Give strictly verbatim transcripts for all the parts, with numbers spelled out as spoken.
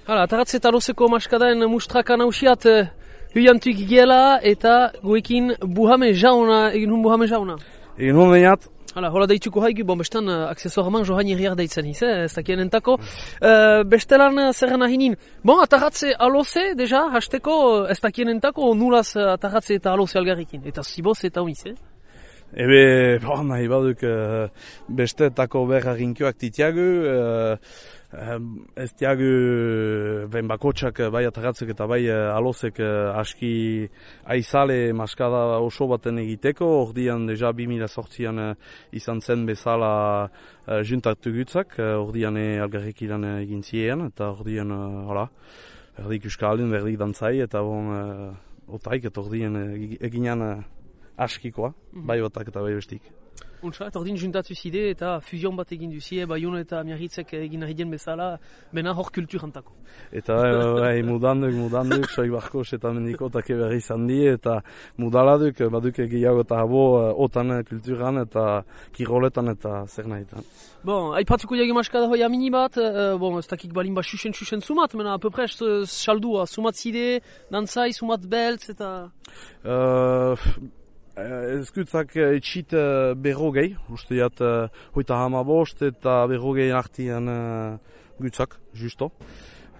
Hala, ataratze eta lozeko maskadaen mustraka nausiat huiantuik giela eta guekin buhame jauna, egin hun buhame jauna. Egin hun behinat. Hala, hola daituko haigu, bon bestan aksesoraman johan irriar daitzen hiz, eh, ez dakien entako. Uh, bestelan zerren ahinin. Bon, ataratze aloze, deja, hasteko ez dakien entako nulaz ataratze eta aloze algarrikin. Eta ziboz eta omiz, eh? Ebe, bon, nahi baduk uh, bestetako berra rinkioak titiagu, uh, ez diagu ben bakotsak bai ataratzek eta bai alozek aski aizale maskada oso baten egiteko, ordian deja bi mila zortzian izan zen bezala juntatu gutzak, ordian algarrik ilan egin ziren, eta ordian, hola, berdik euskaldun, berdik dantzai, eta bon, otaik, eta ordian eginan askikoa, bai batak eta bai bestik. Untsa, eta ordin juntatu zide eta fuzion bat egin duzie, Baiona eta Miarritzek egin nahi den bezala, bena hor kulturantako. Eta bai, mudanduk, mudanduk, soi barkos eta mendikotak berri izan di, eta mudaladuk, baduk egiago eta habo, otan kulturan eta kiroletan eta zer nahitan. Bon, aipatzuko jage maskada hoi amini bat, uh, bon, ez dakik balin bat xuxen-xuxen sumat, mena, apopres, saldua, sumat zide, dantzai, sumat beltz, eta... Uh, Ezkutzak etxit uh, berrogei, uste jat uh, hoita hamabost eta berrogei artian uh, gutzak, justo.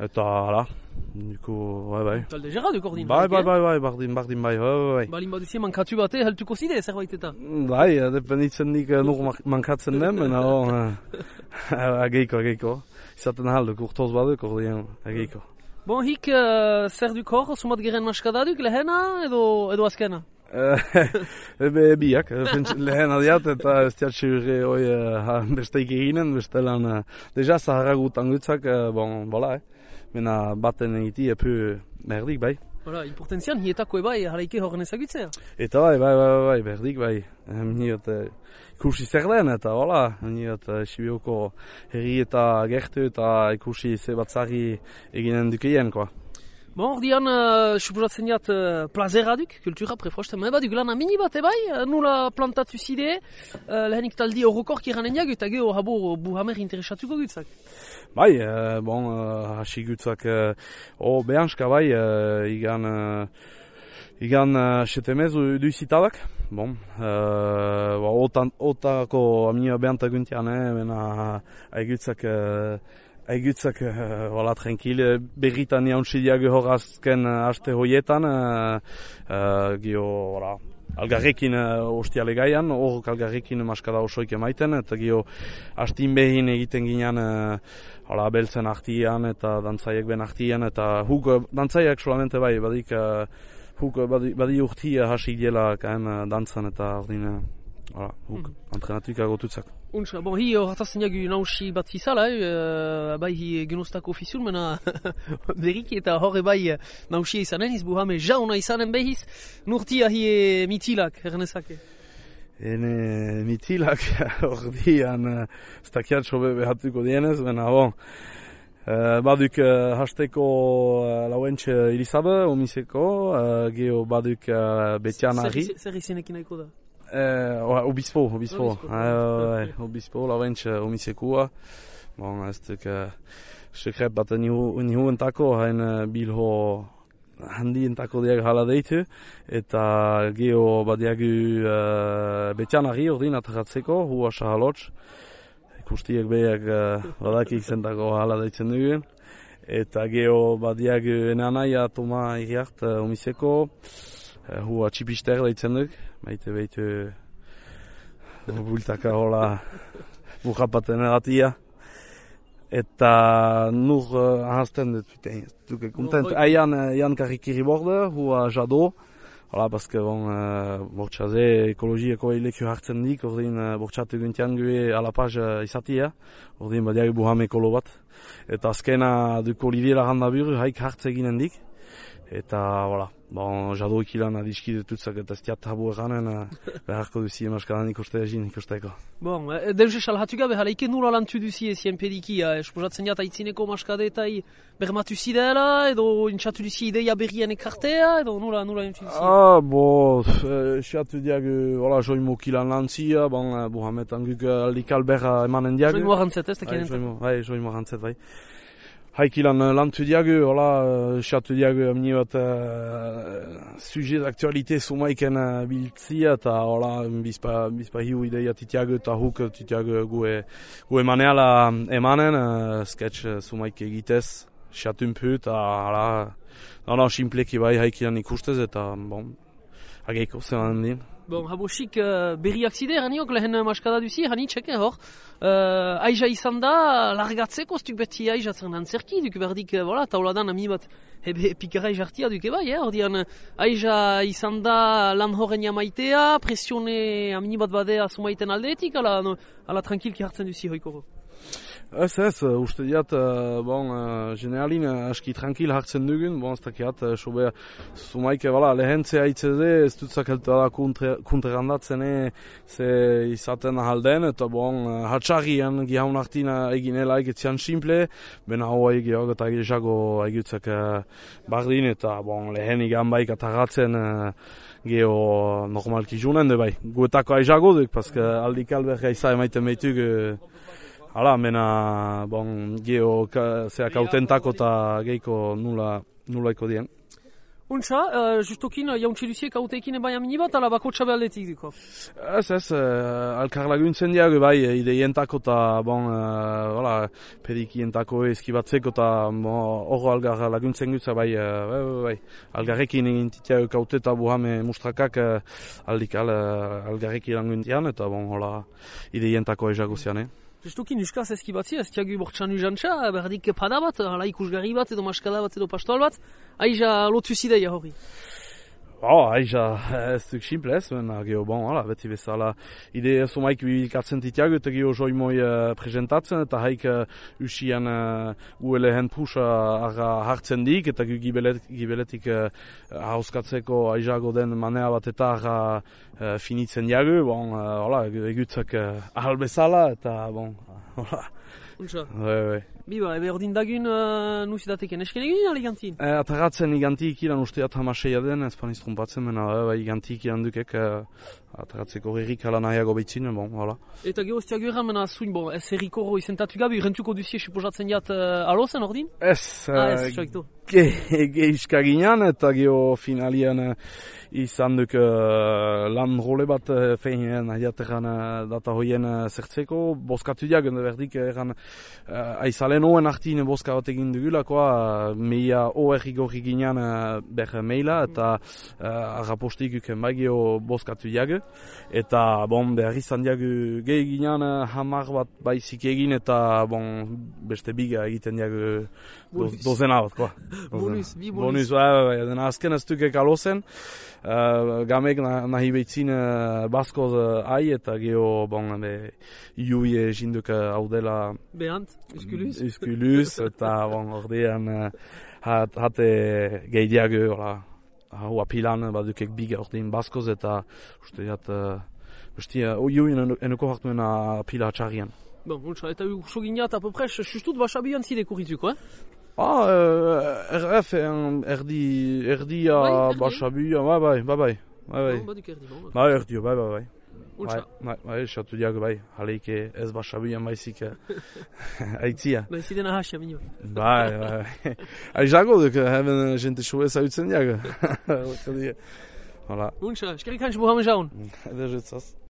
Eta, hala, duko, bai, bai. Talde gerra duk ordin? Bai, bai, bai, bai, bardin, bardin, bai, bai, bai. Balin baduzie mankatu bate, heltuko zide, zerbait eta? Bai, dependitzen dik uh, nur mankatzen den, mena, uh, ageiko, ageiko. Izaten halduk, urtoz baduk, ordin, ageiko. Bon, hik, uh, zer duk hor, sumat geren maskada duk, lehena edo, edo azkena? Ebe biak, lehen adiat eta ez diatxurre hoi besteik eginen, bestelan deja zaharagutan gutzak, bon, bola, eh. Mena baten egiti epu merdik, bai. Hola, importantzian, hietako ebai, haraike horren ezagutzea. Eta bai, bai, bai, bai, berdik, bai. Niot, ikusi zer den, eta hola, niot, Sibioko herri eta gertu eta ikusi ze batzari eginen dukeien, koa. Bon, ordian, uh, suposatzen jat, uh, plazera duk, kultura prefrosten, eba duk lan amini bat, ebai, nula plantatu zide, uh, lehenik taldi horrokork iranen jagu, eta geho habo buhamer interesatuko gutzak. Bai, uh, bon, uh, hasi gutzak, uh, o behanska bai, uh, igan, uh, igan uh, setemez duizitabak, bon, uh, otan, otako amnia behantaguntian, eh, bena, haigutzak, uh, Aigutzak, wala, uh, tranquil, berritan jauntzidiak horazken uh, aste hoietan, uh, uh, gio, wala, algarrekin uh, ostiale gaian, hor algarrekin maskada osoik emaiten, eta gio, hastin behin egiten ginean, uh, wala, beltzen artian, eta dantzaiek ben artian, eta huk, dantzaiek solamente bai, badik, uh, huk, badi, badi urti uh, hasi gela kaen uh, dantzan, eta ordin, uh, wala, huk, mm. entrenatuik agotutzak. Untsa, bon, hi horretazten jagu nausi bat fizala, eh, bai hi genostako ofizul, mena berik eta horre bai nausia izanen, izbuhame jauna izanen behiz, nurtia hi mitilak, ernezake. Ene mitilak, ordian, ez dakiat sobe behatuko dienez, mena bon, uh, baduk uh, hasteko uh, lauentxe Elizabe, omiseko, uh, geho baduk uh, Betianari. Zer izenekin nahiko da? Eh, obispo, obispo, obispo, lauentx omisekua. Bon, ez duk, sekret bat nihu entako, hain bilho handi entako diag hala deitu, eta geho badiagu uh, Betianari ordin ataratzeko, hua sahalotx, ikustiek behiak uh, badakik zentako hala deitzen dugun, eta geho badiagu enanaia Toma Iriart uh, omiseko, Uh, hua txipister daitzen duk, baite behitu bultaka hola burrapaten eratia. Eta nur uh, ahazten dut, duke kontent. Aian Jan Karikiri borde, hua jado, hola, bazke bon, uh, bortxaze ekologieko eileku hartzen dik, ordin uh, bortxatu guntian gue alapaz uh, izatia, ordin badiak buhame ekolo bat. Eta azkena duk Olivier Larrandabur, haik hartze ginen dik. Eta, voilà, bon, jado ikilan adiskidetutzak eta ez diat habo eganen, beharko duzie maskadan ikuste egin ikusteko. Bon, deuze salhatu gabe, halaike nula lantu duzie ezien pediki, esposatzen jat aitzineko maskadetai bermatu zidela, edo intxatu duzie ideia berrien ekartea, edo nula, nula intxatu duzie? Ah, bo, esatu diag, voilà, joimo kilan lantzia, bon, buhametan guk aldikal berra emanen diag. Joimo arantzet, ez da kenen? Bai, joimo arantzet, bai. haikilan lantu diagu, hola, xatu diagu amni bat uh, sujet d'actualité sumaiken uh, biltzia, eta hola, bizpa, bizpa hiu ideia titiagu, eta huk titiagu gue, gue maneala emanen, uh, sketch uh, sumaik egitez, xatunpu, eta hola, no, no, simpleki bai haikilan ikustez, eta, bon, ageiko zelan din. Bon, habosik uh, berriak zide, haniok lehen maskada duzi, hani txeke hor. Uh, aiza izan da, largatzeko, stuk beti aiza zer antzerki, duk berdik, uh, voilà, tauladan ami bat ebe pikara jartia duke bai, eh? Ordian, aiza izan da lan horren jamaitea, presione ami bat badea sumaiten aldeetik, ala, no, ala tranquilki hartzen duzi hoikoro. Ez ez, uste diat, uh, bon, uh, generalin uh, aski tranquil hartzen dugun, bon, ez dakiat, uh, sobe, sumaike, voilà, lehentzea itzede, ez dutzak heltu da kunterrandatzen, ze izaten ahalden, eta bon, uh, hatxarrian gihaun hartina eginela egetzean simple, bena hoa egiago eta egizago egitzak uh, bardin, eta bon, lehen igan baik atarratzen, uh, geho normalki junen, de bai, guetako aizago duk, paske aldik alberga izan emaiten behitug, uh, hala, mena, bon, geho, zeak autentako eta geiko nula, nulaiko dien. Untsa, uh, justokin, jauntxe duziek autekin bai amini bat, ala bako txabe aldetik duko? Ez, ez, uh, alkar laguntzen diago bai, ideientako eta, bon, uh, voilà, pedikientako eskibatzeko eta, bon, horro algar laguntzen gutza bai, uh, bai, bai, bai, algarrekin egin titiago kaute eta buhame mustrakak, uh, aldik al, uh, algarrekin laguntian, eta, bon, hola, ideientako ezago zian, eh? Justukin euskaz eskibatzi, ez tiagu bortxan ujantxa, berdik pada bat, hala ikusgarri bat, edo maskada bat, edo pastoal bat, aiza lotu zideia hori. Oh, aiza, ez duk simplez, mena, geho, bon, hala, beti bezala, ide somaik bilikatzen titiago, eta geho joimoi uh, presentatzen, eta haik uh, usian uh, uelehen pusa arra hartzen dik, eta gibelet, gibeletik uh, hauskatzeko aizago den manea bat eta arra uh, finitzen diago, bon, uh, hala, egutzak uh, ahal bezala, eta, bon, hala. Untsa. Bai, bai. Biba, ebe ordin dagun uh, nuzidateken esken egin ala igantin? E, ataratzen iganti ikilan usteat hamaseia den, ez paniz trumpatzen, mena e, iganti ikilan dukek e, ataratzeko herrik ala nahiago behitzin, bon, hala. Eta gero ez tiago eran, mena zuin, bon, ez herriko hori zentatu gabi, rentuko duzie suposatzen jat uh, alozen ordin? Ez, ah, ez, soikto. Ge, ge iskaginan, eta gero finalian uh, izan duk uh, lan role bat uh, feinen ahiateran uh, data hoien uh, zertzeko, boskatu diak, berdik eran uh, aizalen oen artine boska bat egin dugulakoa, uh, meia oer igorri ginean uh, ber maila, eta uh, arrapostik uken bai geho boskatu diak, eta bon, behar izan diak gehi ginean uh, hamar bat baizik egin, eta bon, beste biga egiten diak uh, dozena bat, koa. Bonus, bi bonus. Bonus, bai, bai, den azken ez dukek alozen, uh, gamek nahi behitzin uh, baskoz uh, ai, eta geho, bon, be, iui jinduk uh, hau dela... Behant, uskuluz. Uskuluz, eta, bon, ordean, uh, hat, hate gehi diago, hola, hau apilan, badukek biga ordean baskoz, eta, uste, hat, uh, besti, uh, iui enuko hartuen apila txarrian. Bon, untsa, eta urso gineat, apopres, justut basabian zideko ritzuko, eh? Ah, uh, R F, erdi, erdia, basabuia, bai, bai, bai, bai, bai, bai, bai, erdio, bai, bai, bai, bai, bai, bai, esatu diago, bai, haleike ez basabuia maizik aitzia. Bai, zidena hasia, minio. Bai, bai, aizago duk, hemen jente shoe zautzen diago. Hala. Untsa, eskerrik hans buhamen jaun. Eder jetzaz.